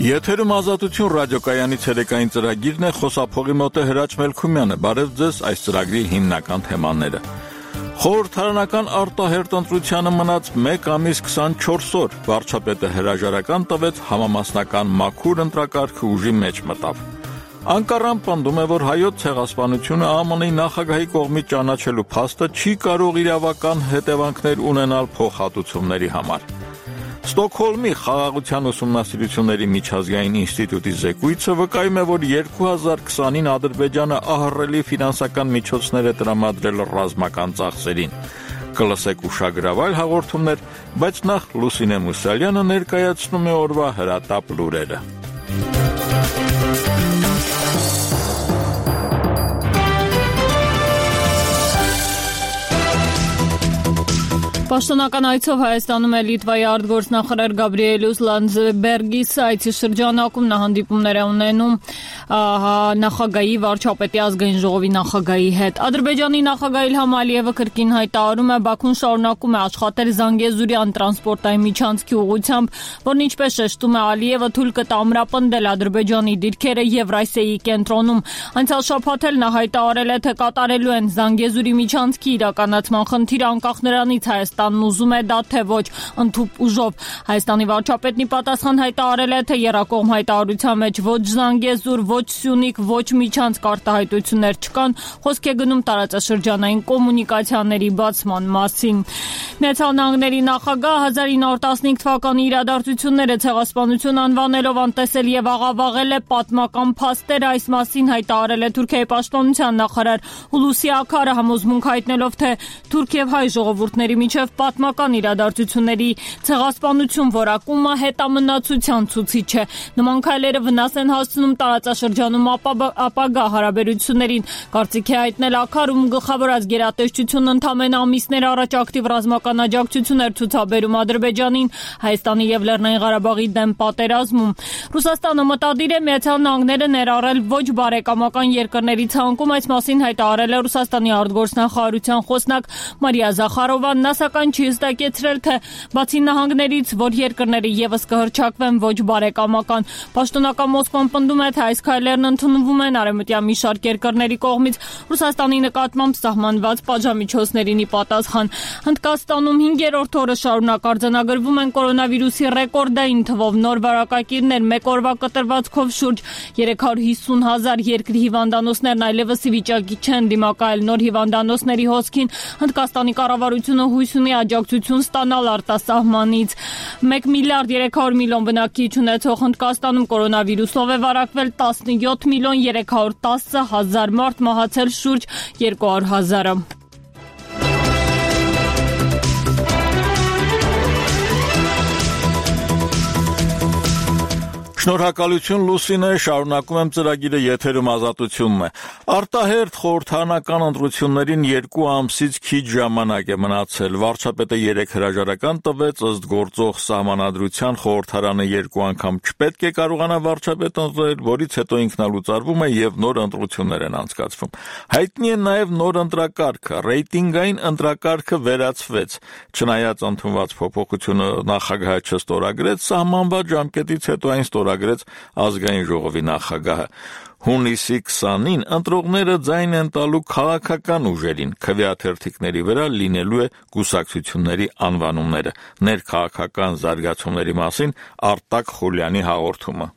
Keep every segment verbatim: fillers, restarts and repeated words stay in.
Եթերում Ազատություն ռադիոկայանի ցերեկային ծրագիրն է, խոսափողի մոտ է Հրաչ Մելքումյանը։ Բարև ձեզ, այս ծրագրի հիմնական թեմաները։ Խորհրդարանական արտահերթ ընտրությանը մնաց մեկ ամիս քսանչորս օր, վարչապետը հրաժարական տվեց, համամասնական մաքուր ընտրակարգը ուժի մեջ մտավ։ Անկարան պնդում է, որ հայոց ցեղասպանությունը Α M N-ի նախագահի կողմից ճանաչելու փաստը չի կարող իրավական հետևանքներ ունենալ փոխհատուցումների համար։ Ստոկհոլմի խաղաղության ուսումնասիրությունների միջազգային ինստիտուտի զեկույցը վկայում է, որ երկու հազար քսանին Ադրբեջանը ահռելի ֆինանսական միջոցներ է տրամադրել ռազմական ծախսերին։ Կլսեք ուշագրավայր հաղորդումներ, բայց նախ Լուսինե Մուսալյանը ներկայացնում է օրվա հրատապ լուրերը։ Պաշտոնական այցով Հայաստանում է Լիտվայի արտգործնախարար Գաբրիելուս Լանդսբերգիսը, այցի շրջանակում նա հանդիպումներ է ունենում նախագահի, վարչապետի, ազգային ժողովի նախագահի հետ։ Ադրբեջանի նախագահ Իլհամ Ալիևը կրկին հայտարարում է, Բաքուն շարունակում է աշխատել Զանգեզուրյան տրանսպորտային միջանցքի ուղղությամբ, որն ինչպես շեշտում է Ալիևը, թույլ կտա ամրապնդել Ադրբեջանի դիրքերը Եվրասիայի կենտրոնում։ Անցյալ շաբաթ էլ նա հայտարարել է, թե կատարելու են Զանգեզուրի միջանցքի իրականացման խնդիրը, անկախ նրանից Հայաստանն ուզում է դա թե ոչ, ընդհուպ ուժով։ Հայաստանի վարչապետն ի պատասխան հայտարարել է, թե եռակողմ հայտարարության մեջ ոչ Զանգեզուր, ոչ Սյունիք, ոչ միջանցք արտահայտություններ չկան, խոսք է գնում տարածաշրջանային կոմունիկացիաների բացման մասին։ Միացյալ Նահանգների նախագահ հազար ինը հարյուր տասնհինգ թվականի իրադարձությունները ցեղասպանություն անվանելով անտեսել եւ աղավաղել է պատմական փաստերը, այս մասին հայտարարել է Թուրքիայի պաշտպանության նախարար Հուլուսի Աքարը, համոզմունք հայտնելով, թե թուրք եւ հայ ժողովուրդների միջև պատմական իրադարձությունների ցեղասպանություն որակումը հետամնացության ցուցիչ է։ Նման քայլերը վնաս են հասցնում տարածաշրջանում ապագա հարաբերություններին։ Կարծիք է հայտնել Աքարում, գլխավորած գերատեսչությունն ընդամենը ամիսներ առաջ ակտիվ ռազմական աջակցություն էր ցուցաբերում Ադրբեջանին Հայաստանի եւ Լեռնային Ղարաբաղի դեմ պատերազմում։ Ռուսաստանը մտադիր է Միացյալ Նահանգները ներառել ոչ բարեկամական երկրների ցանկում, այս մասին հայտարարել է Ռուսաստանի արտգործնախարարության խոսնակ Մարիա Զախարովան։ Նա սակայն չի հստակեցրել, թե բացի նահանգներից, որ երկրները եւս կհռչակվեն ոչ բարեկամական։ Պաշտոնական Մոսկվան պնդում է, թե այս քայլերն ընդունվում են արևմտյան մի շարք երկրների կողմից Ռուսաստանի նկատմամբ սահմանված պատժամիջոցներին ի պատասխան։ Հնդկաստանում հինգերորդ օրը շարունակ արձանագրվում են կորոնավիրուսի ռեկորդային թվով նոր վարակակիրներ, մեկ օրվա կտրվածքով շուրջ երեք հարյուր հիսուն հազար երկրի հիվանդանոցներն այլևս ի վիճակի չեն դիմակայել նոր հիվանդանոցների հոսքին։ Հնդկաստանի կառավարությունը հույս ունի աջակցություն ստանալ արտասահմանից։ մեկ միլիարդ երեք հարյուր միլիոն բնակիչ ունեցող Հնդկաստանում կորոնավիրուսով է վարակվել տասնյոթ միլիոն երեք հարյուր տասը հազար մարդ, մահացել շուրջ երկու հարյուր հազարը։ Շնորհակալություն Լուսինե, շարունակում եմ ծրագիրը, եթերում Ազատությունն է։ Արտահերթ խորհրդարանական ընտրություններին երկու ամսից քիչ ժամանակ է մնացել։ Վարչապետը երեք հրաժարական տվեց, ըստ գործող սահմանադրության խորհրդարանը երկու անգամ չպետք է կարողանա վարչապետ ընտրել, որից հետո ինքնալուծարվում է եւ նոր ընտրություններ են անցկացվում։ Հայտնի է նաեւ նոր ընտրակարգը, ռեյտինգային ընտրակարգը վերացվեց։ Չնայած ընդունված փոփոխությունը նախագահը չստորագրեց, սահմանված ժամկետից հետո այն ստորագրեց ազգային ժողովի նախագահը։ Հունիսի քսանին ընտրողները ձայն են տալու քաղաքական ուժերին, քվեաթերթիկների վրա լինելու է կուսակցությունների անվանումները։ Ներքաղաքական զարգացումների մասին Արտակ Խուլյանի հաղորդումը։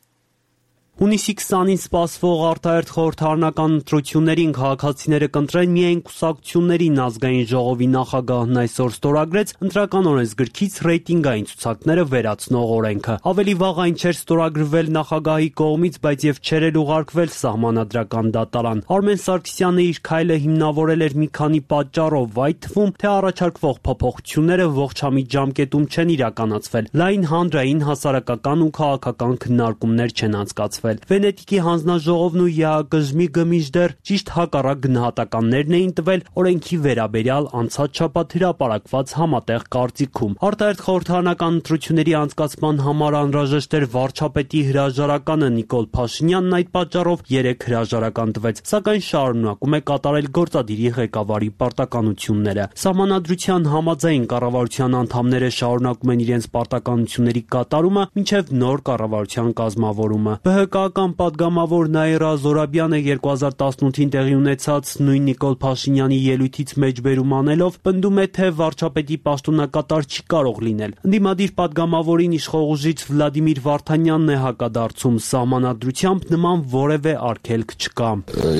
Հունիսի քսանին սպասվող արտահերթ խորհրդարանական ընտրություններին քաղաքացիները կընտրեն միայն կուսակցություններին, ազգային ժողովի նախագահն այսօր ստորագրեց ընտրական օրենսգրքից ռեյտինգային ցուցակները վերացնող օրենքը։ Ավելի վաղ այն չէր ստորագրվել նախագահի կողմից, բայց եւ չէր էլ ուղարկվել սահմանադրական դատարան։ Արմեն Սարգսյանը իր քայլը հիմնավորել էր մի քանի պատճառով, այդ թվում, թե առաջարկվող փոփոխությունները ողջամիտ ժամկետում չեն իրականացվել, լայն հանրային, հասարակական ու քաղաքական քննարկումներ չեն անցկացվել։ տվել։ Վենետիկի հանձնաժողովն ու ԵԱԿ-ի գմիջդեռ ճիշտ հակառակ գնահատականներն էին տվել օրենքի վերաբերյալ անցած շաբաթ հրապարակված համատեղ կարծիքում։ Արտահերթ խորհրդարանական ընտրությունների անցկացման համար անհրաժեշտ էր վարչապետի հրաժարականը։ Նիկոլ Փաշինյանն այդ պատճառով երեք հրաժարական տվեց, սակայն շարունակում է կատարել գործադիրի ղեկավարի պարտականությունները։ Սահմանադրության համաձայն կառավարության անդամները շարունակում են իրենց պարտականությունների կատարումը մինչև նոր կառավարության կազմավորումը։ ԲՀԿ-ական պատգամավոր Նաիրա Զորաբյանը երկու հազար տասնութին տեղի ունեցած նույն Նիկոլ Փաշինյանի ելույթից մեջբերում անելով պնդում է, թե վարչապետի պաշտոնակատար չի կարող լինել։ Ընդդիմադիր պատգամավորին իշխող ուժից Վլադիմիր Վարդանյանն է հակադարձում։ Սահմանադրությամբ նման որևէ արգելք չկա։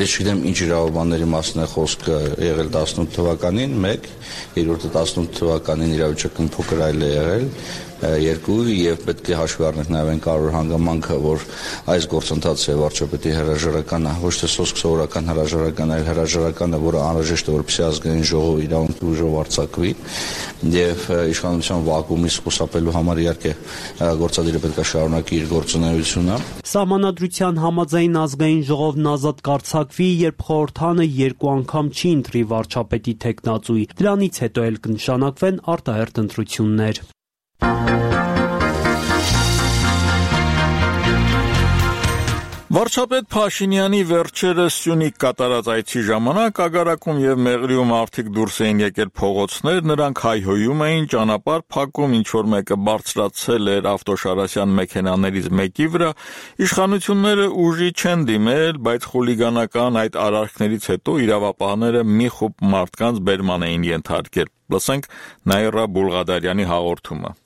Ես չգիտեմ ինչ իրավաբանների մասն է խոսքը եղել տասնութ թվականին, մեկ, երրորդը տասնութ թվականին իրավիճակը փոքր այլ է եղել, երկու, եւ պետք է հաշվի առնենք նաեւ այն կարևոր հանգամանքը, որ այս գործընթացը վարչապետի հրաժարականը ոչ թե սոսկ սովորական հրաժարական, այլ հրաժարականը, որը անհրաժեշտ է, որպեսզի ազգային ժողովը իրավունքի ուժով արձակվի, եւ իշխանության վակուումից խուսափելու համար իհարկե գործադիրը պետք է շարունակի իր գործունեությունը։ Սահմանադրության համաձայն ազգային ժողովն ազատ կարձակվի, երբ խորհրդանը երկու անգամ չի ընտրի վարչապետի թեկնածուի։ Դրանից հետո էլ կնշանակվեն արտահերթ ընտրություններ։ Վարչապետ Փաշինյանի վերջերս Սյունիք կատարած այցի ժամանակ Ագարակում եւ Մեղրիում արդիկ դուրս էին եկել փողոցներ, նրանք հայհոյում էին, ճանապարհ փակում, ինչ որ մեկը բարձրացել էր ավտոշարասյան մեքենաներից մեկի վրա։ Իշխանությունները ուժի չեն դիմել, բայց խուլիգանական այդ արարքներից հետո իրավապահները մի խումբ մարդկանց բերման էին ենթարկել։ Լսենք Նաիրա Բուլղադարյանի հաղորդումը։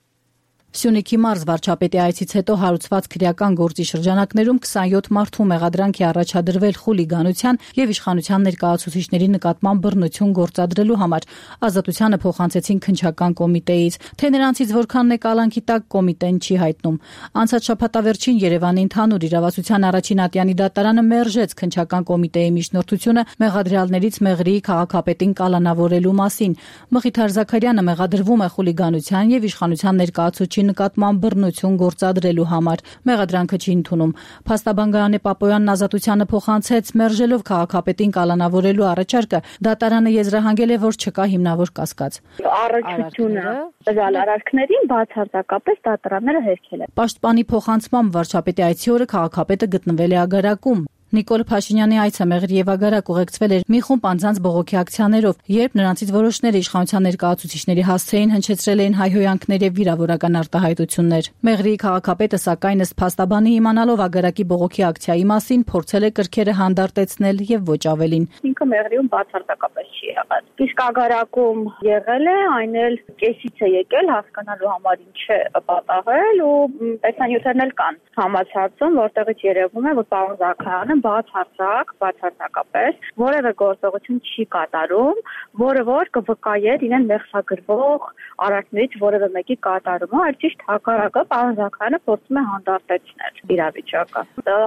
Սյունիքի մարզ վարչապետի այցից հետո հարուցված քրեական գործի շրջանակներում քսանյոթ մարդու մեղադրանք է առաջադրվել խուլիգանության եւ իշխանության ներկայացուցիչների նկատմամբ բռնություն գործադրելու համար։ Ազատությանը փոխանցեցին քննչական կոմիտեից, թե նրանցից որքանն է կալանքի տակ կոմիտեն չի հայտնում։ Անցած շաբաթավերջին Երևանի ընդհանուր իրավասության առաջին ատյանի դատարանը մերժեց քննչական կոմիտեի միջնորդությունը մեղադրյալներից Մեղրիի քաղաքապետին կալանավորելու մասին։ Մխիթար Զաքարյանը մեղադրվում է խուլիգանության եւ իշխանության ներկայացուցիչի նկատմամբ բռնություն գործադրելու համար։ Մեղադրանքը չի ընդունում։ Փաստաբան Գայանե Պապոյանն ազատությանը փոխանցեց մերժելով քաղաքապետին կալանավորելու առաջարկը։ Դատարանը եզրահանգել է, որ չկա հիմնավոր կասկած։ Առաքությունը տվյալ արարքներին բացարձակապես դատարանները հերքել են։ Պաշտպանի փոխանցմամբ վարչապետի այցի օրը քաղաքապետը գտնվել է Ագարակում։ Նիկոլ Փաշինյանի այցը Մեղրի եւ Ագարակ ուղեկցվել էր մի խումբ անձանց բողոքի ակցիաներով, երբ նրանցից որոշները իշխանության ներկայացուցիչների հասցեին հնչեցրել էին հայհոյանքներ եւ վիրավորական արտահայտություններ։ Մեղրիի քաղաքապետը սակայն ըստ փաստաբանի իմանալով Ագարակի բողոքի ակցիայի մասին փորձել է կրքերը հանդարտեցնել եւ ոչ ավելին։ Ինքը Մեղրիում բացարձակապես չի եղել։ Իսկ Ագարակում եղել է, այն էլ կեսից է եկել հասկանալու համար ինչ է պատահել ու տեսանյութերն էլ կան համացածում, որտեղից երևում է, որ պարոն Զաքարյանը բացարձակ, բացարձակապես որևէ գործողություն չի կատարում, որը որ կվկայեր իրեն մեղսագրվող արարքներից որևէ մեկի կատարումը, այլ ճիշտ հակառակը պարոն Զաքարյանը փորձում է հանդարտեցնել իրավիճակը։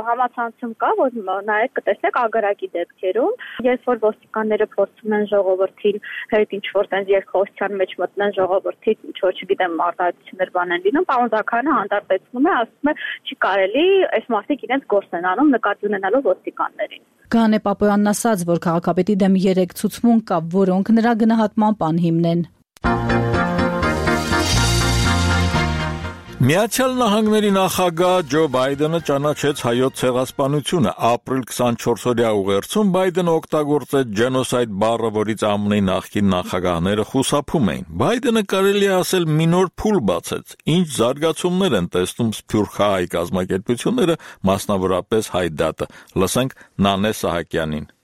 Համացանցում կա, որ նայեք կտեսնեք Ագարակի դեպքերում, երբ որ ոստիկանները փորձում են ժողովրդին հետ ինչ-որ տենց երկխոսության մեջ մտնեն ժողովրդի, ինչ-որ չգիտեմ արտահայտություններ բանեն լինում, պարոն Զաքարյանը հանդարտեցնում է, ասում է չի կարելի, այս մարդիկ իրենց գործն են անում նկատի ունենալով ոստիկաններին։ Գայանե Պապոյանն ասաց, որ քաղաքապետի դեմ երեք ցուցմունք կա, որոնք նրա գնահատմամբ անհիմն են։ Միացյալ Նահանգների նախագահ Ջո Բայդենը ճանաչեց հայոց ցեղասպանությունը։ Ապրիլ քսանչորսօրյա ուղերձում Բայդենը օգտագործեց ջենոսայդ բառը, որից ԱՄՆ-ի նախկին նախագահները խուսափում էին։ Բայդենը կարելի է ասել մի նոր փուլ բացեց։ Ինչ զարգացումներ են տեսնում սփյուռքահայ կազմակերպությունները, մասնավորապես Հայդատը։ Լսենք Նանե Սահակյանին։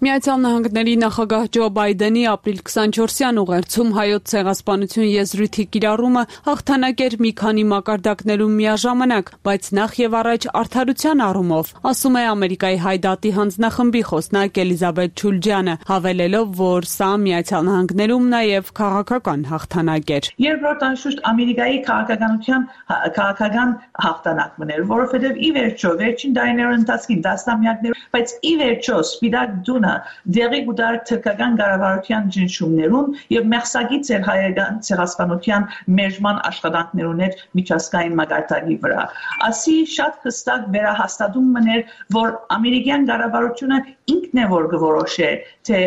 Միացյալ Նահանգների նախագահ Ջո Բայդենի ապրիլ քսանչորսյան ուղերձում հայոց ցեղասպանություն եզրույթի կիրառումը հաղթանակ էր մի քանի մակարդակներում միաժամանակ, բայց նախ եւ առաջ արդարության առումով, ասում է Ամերիկայի Հայդատի հանձնախմբի խոսնակ Էլիզաբեթ Չուլջյանը, հավելելով, որ սա Միացյալ Նահանգներում նաեւ քաղաքական հաղթանակ էր։ Երկրորդ անշուշտ Ամերիկայի քաղաքականության քաղաքական հաղթանակն էր, որովհետեւ ի վերջո վերջին դարիների ընթացքում դասնամյակներ, բայց ի վերջո սպիտակ դունը դեղի գուտար թրկական կառավարության ճնշումներուն եւ մեղսագից էր հայկական ցեղասպանության մեժման աշխատանքներուն հետ միջազգային մակարդակի վրա։ Ասի շատ հստակ վերահաստատում մներ, որ ամերիկյան կառավարությունը ինքն է որ գորոշե, թե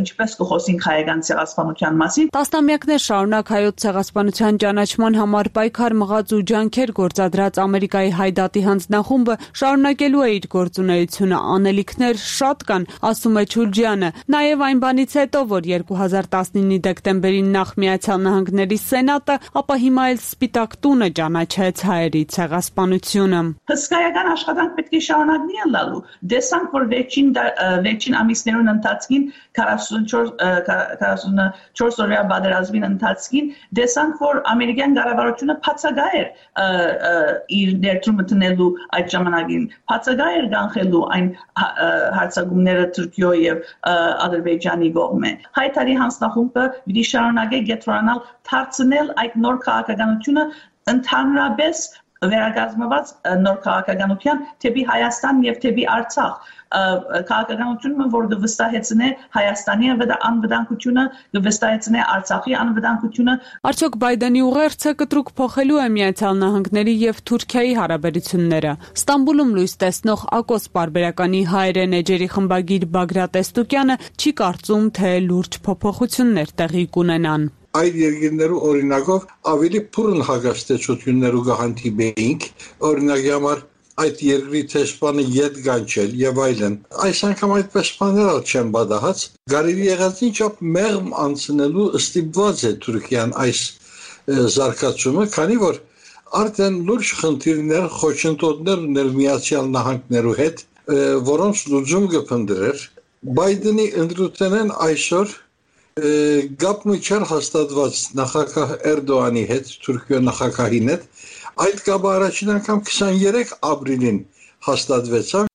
ինչպես կխոսենք հայկական ցեղասպանության մասին։ Տասնամյակներ շարունակ հայոց ցեղասպանության ճանաչման համար պայքար մղած ու ջանքեր գործադրած Ամերիկայի հայդատի հանձնախումբը շարունակելու է իր գործունեությունը, անելիքներ շատ կան, ասում է Չուրջյանը։ Նաև այն բանից հետո, որ երկու հազար տասնինի դեկտեմբերին նախ Միացյալ Նահանգների Սենատը, ապա հիմա էլ Սպիտակ տունը ճանաչեց հայերի ցեղասպանությունը։ Հսկայական աշխատանք պետք է շարունակվի լալու։ Դեսանք, որ վերջին վերջին ամիսներուն ընթացքին քառասունչորս օրյա պատերազմին ընթացքին դեսանք, որ ամերիկյան կառավարությունը բացակայ էր իր ներդրումը տնելու այդ ժամանակին, բացակայ էր կանխելու այն հարցակումները Թուրքիո եւ Ադրբեջանի կողմեն։ Հայտարարի հանձնախումբը պիտի շարունակի գետրոնալ դարձնել այդ նոր քաղաքականությունը ընդհանրապես վերակազմված նոր քաղաքականության թեպի Հայաստան եւ թեպի Արցախ քաղաքականությունը, որ կվստահեցնե Հայաստանի անվտանգությունը, կվստահեցնե Արցախի անվտանգությունը։ Արդյոք Բայդենի ուղերձը կտրուկ փոխելու է Միացյալ Նահանգների եւ Թուրքիայի հարաբերությունները։ Ստամբուլում լույս տեսնող Ակոս պարբերականի հայերեն էջերի խմբագիր Բագրատ Էստուկյանը չի կարծում, թե լուրջ փոփոխություններ տեղի կունենան։ Այդ երկրներու օրինակով ավելի փուրն հագաստեցություններու կհանդիպեինք, օրինակի համար այդ երկրի տեսփանը ետ գանչել եւ այլն։ Այս անգամ այդպես բաներ չեն բադահած։ Գարելի եղած ինչապ մեղմ անցնելու ստիպված է Թուրքիան այս զարգացումը, քանի որ արդեն լուրջ խնդիրներ, խոչընդոտներ ուներ Միացյալ Նահանգներու հետ, որոնց լուծում կփնտրեր։ Բայդենի ընդրութենեն այսօր գապը չեր հաստատված նախագահ Էրդողանի հետ, Թուրքիո նախագահին հետ, այդ կապը առաջին անգամ քսաներեք ապրիլին հաստատվեցավ։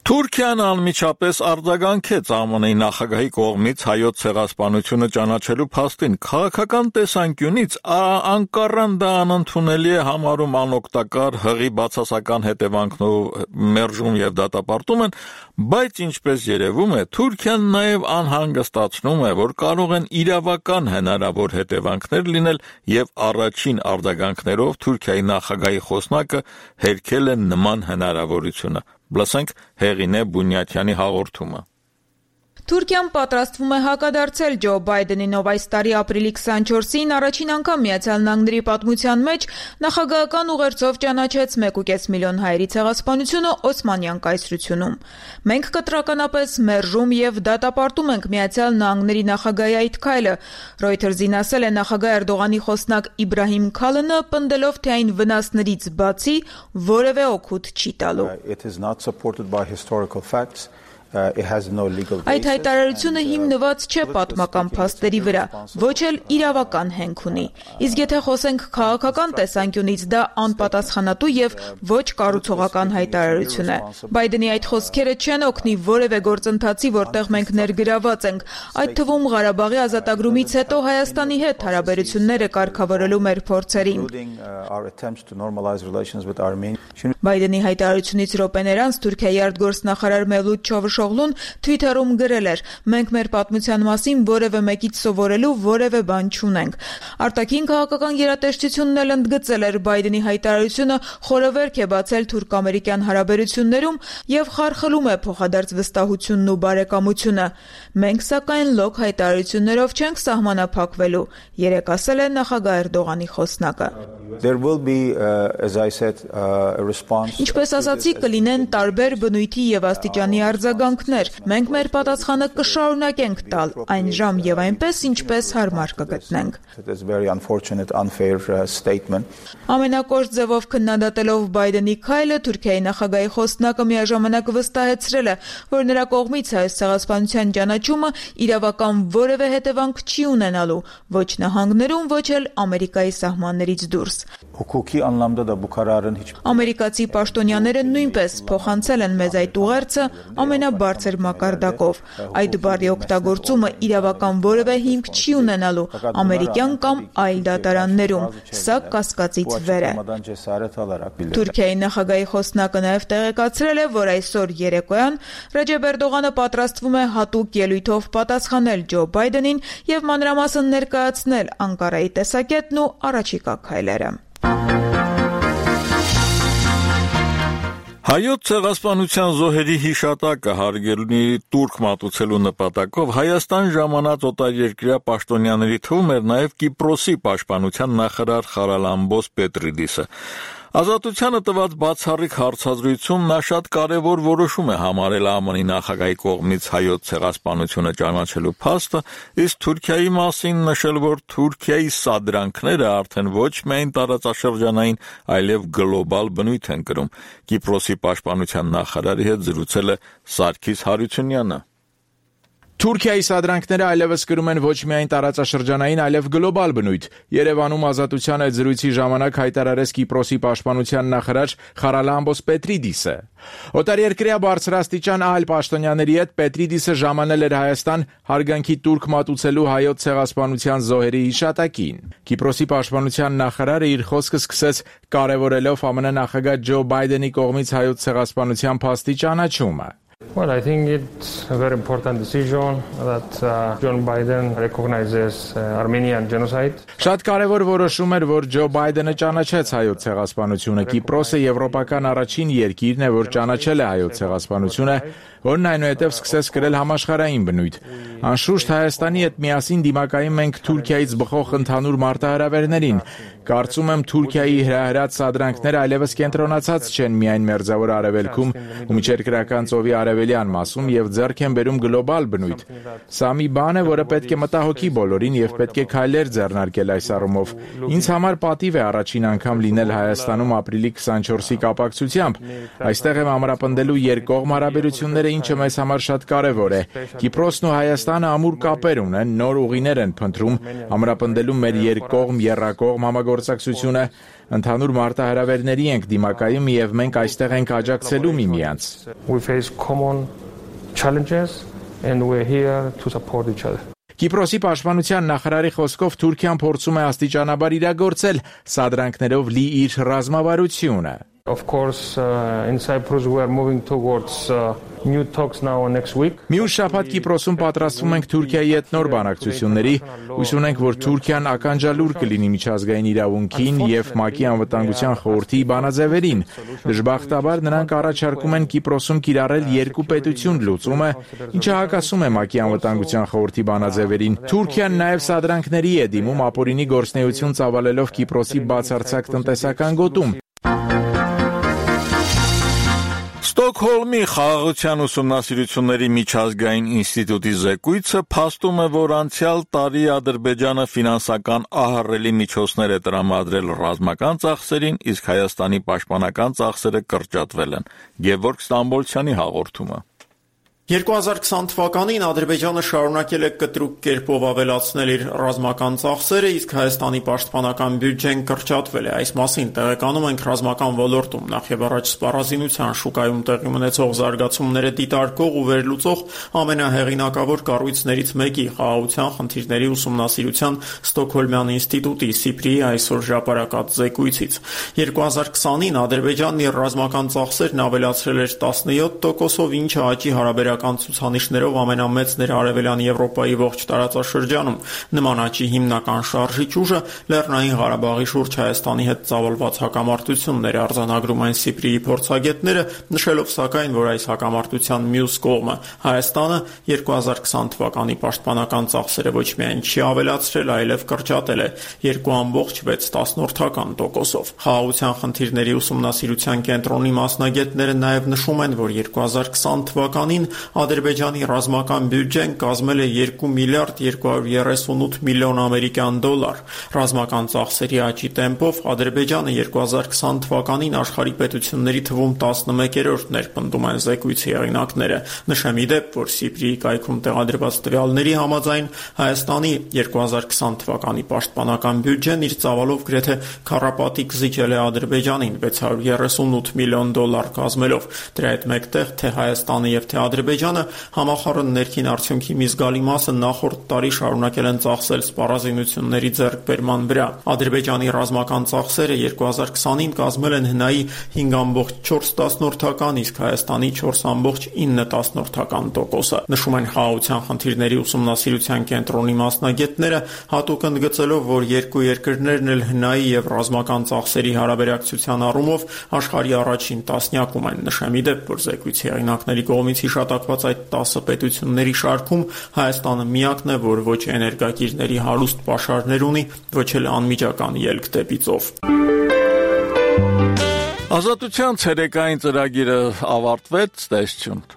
Թուրքիան անմիջապես արձագանքեց ԱՄՆ-ի նախագահի կողմից հայոց ցեղասպանությունը ճանաչելու փաստին։ Քաղաքական տեսանկյունից Անկարան դա անընդունելի է համարում, անօգտակար, հղի բացասական հետևանքներով մերժում եւ դատապարտում են, բայց ինչպես երևում է, Թուրքիան նաեւ անհանգստացնում է, որ կարող են իրավական հնարավոր հետևանքներ լինել եւ առաջին արձագանքներով Թուրքիայի նախագահի խոսնակը հերքել է նման հնարավորությունը։ Լսենք Հեղինե Բունյաթյանի հաղորդումը։ Թուրքիան պատրաստվում է հակադարձել Ջո Բայդենին, ով այս տարի ապրիլի քսանչորսին առաջին անգամ Միացյալ Նահանգների պատմության մեջ նախագահական ուղերձով ճանաչեց մեկ ու կես միլիոն հայերի ցեղասպանությունը Օսմանյան կայսրությունում։ Մենք կտրականապես մերժում եւ դատապարտում ենք Միացյալ Նահանգների նախագահի այդ քայլը, Reuters-ին ասել է նախագահ Էրդողանի խոսնակ Իբրահիմ Քալինը, պնդելով, թե այն վնասներից բացի որևէ օգուտ չի տալու։ Այդ հայտարարությունը հիմնված չէ պատմական փաստերի վրա, ոչ էլ իրավական հենք ունի։ Իսկ եթե խոսենք քաղաքական տեսանկյունից, դա անպատասխանատու եւ ոչ կառուցողական հայտարարություն է։ Բայդենի այդ խոսքերը չեն օգնի որևէ գործընթացի, որտեղ մենք ներգրաված ենք, այդ թվում Ղարաբաղի ազատագրումից հետո Հայաստանի հետ հարաբերությունները կարգավորելու մեր փորձերին։ Բայդենի հայտարարությունից րոպեներ անց Թուրքիայի արտգործնախարար Մևլութ Չավուշօղլուն Twitter-ում գրել էր. «Մենք մեր պատմության մասին որևէ մեկից սովորելու որևէ բան չունենք»։ Արտաքին քաղաքական գերատեսչությունն էլ ընդգծել էր Բայդենի հայտարարությունը խորովերք է բացել թուրք-ամերիկյան հարաբերություններում եւ խարխլում է փոխադարձ վստահությունն ու բարեկամությունը։ Մենք սակայն լոկ հայտարարություններով չենք սահմանափակվելու, երեկ ասել է նախագահ Էրդողանի խոսնակը։ Ինչպես ասացի, կլինեն տարբեր բնույթի եւ աստիճանի արձագանքներ։ Մենք մեր պատասխանը կշարունակենք տալ այն ժամ եւ այնպես, ինչպես հարմար կգտնենք։ Ամենակոշտ ձևով քննադատելով Բայդենի քայլը, Թուրքիայի նախագահի խոսնակը միաժամանակ վստահեցրել է, որ նրա կողմից հայոց ցեղասպանության ճանաչումը իրավական որևէ հետևանք չի ունենալու ոչ նահանգներում, ոչ էլ Ամերիկայի սահմաններից դուրս։ Ամերիկացի պաշտոնյաները նույնպես փոխանցել են մեզ այդ ուղերձը ամենաբարձր բարձր մակարդակով։ Այդ բառի օգտագործումը իրավական որևէ հիմք չի ունենալու ամերիկյան կամ այլ դատարաններում, սա կասկածից վեր է։ Թուրքիայի նախագահի խոսնակը նաև տեղեկացրել է, որ այսօր երեկոյան Ռեջեփ Էրդողանը պատրաստվում է հատուկ ելույթով պատասխանել Ջո Բայդենին եւ մանրամասն ներկայացնել Անկարայի տեսակետն ու առաջիկա քայլերը։ Հայոց ցեղասպանության զոհերի հիշատակը հարգելունի տուրք մատուցելու նպատակով Հայաստան ժամանած օտարերկրյա պաշտոնյաների թվում էր նաև Կիպրոսի պաշտպանության նախարար Խարալամբոս Պետրիդիսը։ Ազատությանը տված բացառիկ հարցազրույցում նա շատ կարևոր որոշում է համարել ԱՄՆ-ի նախագահի կողմից հայոց ցեղասպանությունը ճանաչելու փաստը, իսկ Թուրքիայի մասին նշել, որ Թուրքիայի սադրանքները արդեն ոչ միայն տարածաշրջանային, այլև գլոբալ բնույթ են կրում։ Կիպրոսի պաշտպանության նախարարի հետ զրուցել է Սարգիս Հարությունյանը։ Թուրքիայի սադրանքները այլևս կրում են ոչ միայն տարածաշրջանային, այլև գլոբալ բնույթ։ Երևանում Ազատության այդ զրույցի ժամանակ հայտարարեց Կիպրոսի պաշտպանության նախարար Խարալամբոս Պետրիդիսը։ Օտարերկրյա բարձրաստիճան այլ պաշտոնյաների հետ Պետրիդիսը ժամանել էր Հայաստան հարգանքի տուրք մատուցելու հայոց ցեղասպանության զոհերի հիշատակին։ Կիպրոսի պաշտպանության նախարարը իր խոսքը սկսեց կարևորելով ԱՄՆ նախագահ Ջո Բայդենի կողմից հայոց ցեղասպանության փաստի ճանաչումը։ Well, I think it's a very important decision that uh, John Biden recognizes uh, Armenian genocide. Շատ կարևոր որոշում էր, որ Ջո Բայդենը ճանաչեց հայոց ցեղասպանությունը։ Կիպրոսը եվրոպական առաջին երկիրն է, որ ճանաչել է հայոց ցեղասպանությունը, որն այնուհետև սկսեց կրել համաշխարհային բնույթ։ Անշուշտ Հայաստանի հետ միասին դիմակայում ենք Թուրքիայից բխող ընդհանուր մարտահրավերներին։ Կարծում եմ Թուրքիայի հրահրած սադրանքները այլևս կենտրոնացած չեն միայն Մերձավոր Արևելքում ու միջերկրական ծովի արևելյան մասում եւ ձեռք են բերում գլոբալ բնույթ։ Սա մի բան է, որը պետք է մտահոգի բոլորին եւ պետք է քայլեր ձեռնարկել այս առումով։ Ինձ համար պատիվ է առաջին անգամ լինել Հայաստանում ապրիլի քսանչորսի կապակցությամբ։ Այստեղ եմ ամրապնդելու երկկողմ հարաբերությունները, ինչը մեզ համար շատ կարևոր է։ Կիպրոսն ու Հայաստանը ամուր կապեր ունեն, նոր ուղիներ են փնտրում ամրապնդելու մեր երկկողմ երրակողմ համագործակցությունը, ընդհանուր մարտահրավերների ենք դիմակայում եւ մենք այստեղ ենք աջակցելու միմյանց։ We face common challenges and we're here to support each other. Կիպրոսի պաշտպանության նախարարի խոսքով Թուրքիան փորձում է աստիճանաբար իրագործել սադրանքներով լի իր ռազմավարությունը։ Of course, uh, in Cyprus we are moving towards uh, new talks now next week. Մյուս շաբաթ Կիպրոսում պատրաստվում ենք Թուրքիայի հետ նոր բանակցությունների, հույս ունենք, որ Թուրքիան ականջալուր կլինի միջազգային իրավունքին եւ ՄԱԿ-ի անվտանգության խորհրդի բանաձևերին։ Դժբախտաբար նրանք առաջարկում են Կիպրոսում կիրառել երկու պետություն լուծումը, ինչը հակասում է ՄԱԿ-ի անվտանգության խորհրդի բանաձևերին։ Թուրքիան նաեւ սադրանքների է դիմում ապօրինի գործունեություն ծավալելով Կիպրոսի բացարձակ տնտեսական գոտում։ Ստոկհոլմի խաղաղության ուսումնասիրությունների միջազգային ինստիտուտի զեկույցը փաստում է, որ անցյալ տարի Ադրբեջանը ֆինանսական ահռելի միջոցներ է տրամադրել ռազմական ծախսերին, իսկ Հայաստանի պաշտպանական ծախսերը կրճատվել են։ Գևորգ Ստամբոլցյանի հաղորդումը։ երկու հազար քսան թվականին Ադրբեջանը շարունակել է կտրուկ կերպով ավելացնել իր ռազմական ծախսերը, իսկ Հայաստանի պաշտպանական բյուջեն կրճատվել է։ Այս մասին տեղեկանում ենք ռազմական ոլորտում նախ եւ առաջ սպառազինության շուկայում տեղի ունեցող զարգացումները դիտարկող ու վերլուծող ամենահեղինակավոր կառույցներից մեկի խաղաղության խնդիրների ուսումնասիրության Ստոկհոլմյան ինստիտուտի Սիպրիի այսօր հրապարակած զեկույցից։ երկու հազար քսանին Ադրբեջանն իր ռազմական ծախսերն ավելացրել էր տասնյոթ տոկոսով, ինչը աճի հարաբերական ցուցանիշներով ամենամեծն էր Արևելյան Եվրոպայի ողջ տարածաշրջանում։ Նման աճի հիմնական շարժիչ ուժը Լեռնային Ղարաբաղի շուրջ Հայաստանի հետ ծավալված հակամարտությունն էր, արձանագրում այն Սիպրիի փորձագետները, նշելով սակայն, որ այս հակամարտության մյուս կողմը Հայաստանը երկու հազար քսան թվականի պաշտպանական ծախսերը ոչ միայն չի ավելացրել, այլև կրճատել է երկու կόμma վեց տոկոսով։ Խաղաղության խնդիրների ուսումնասիրության կենտրոնի մասնագետները նաև նշում են, որ երկու հազար քսան թվականին Ադրբեջանի ռազմական բյուջեն կազմել է երկու միլիարդ երկու հարյուր երեսունութ միլիոն ամերիկյան դոլար։ Ռազմական ծախսերի աճի տեմպով Ադրբեջանը երկու հազար քսան թվականին աշխարհի պետությունների թվում տասնմեկերորդն էր, պնդում են զեկույցի հեղինակները։ Նշեմ ի դեպ, որ Սիպրիի կայքում տեղադրված տվյալների համաձայն Հայաստանի երկու հազար քսան թվականի պաշտպանական բյուջեն իր ծավալով գրեթե քառապատիկ զիջել է Ադրբեջանին վեց հարյուր երեսունութ միլիոն դոլար կազմելով։ Դրա հետ մեկտեղ թե Հայաստանը եւ թե Ադրբեջանը Ադրբեջանը համախառն ներքին արդյունքի մի զգալի մասը նախորդ տարի շարունակել են ծախսել սպառազինությունների ձեռքբերման վրա։ Ադրբեջանի ռազմական ծախսերը երկու հազար քսանին կազմել են հնայի հինգ կόμμα չորս տասնորդական, իսկ Հայաստանի չորս կόμma ինը տասնորդական տոկոսը։ Նշում են խաղաղության խնդիրների ուսումնասիրության կենտրոնի մասնագետները, հատուկ ընդգծելով, որ երկու երկրներն էլ հնայի եւ ռազմական ծախսերի հարաբերակցության առումով աշխարհի առաջին տասնյակում են։ Նշեմ ի դեպ, որ զեկույցի հեղինակների կողմից հիշատակված այդ տասը պետությունների շարքում Հայաստանը միակն է, որ ոչ էներգակիրների հարուստ պաշարներ ունի, ոչ էլ անմիջական ելք դեպի ծով։ Ազատության ցերեկային ծրագիրը ավարտվեց, տեսություն։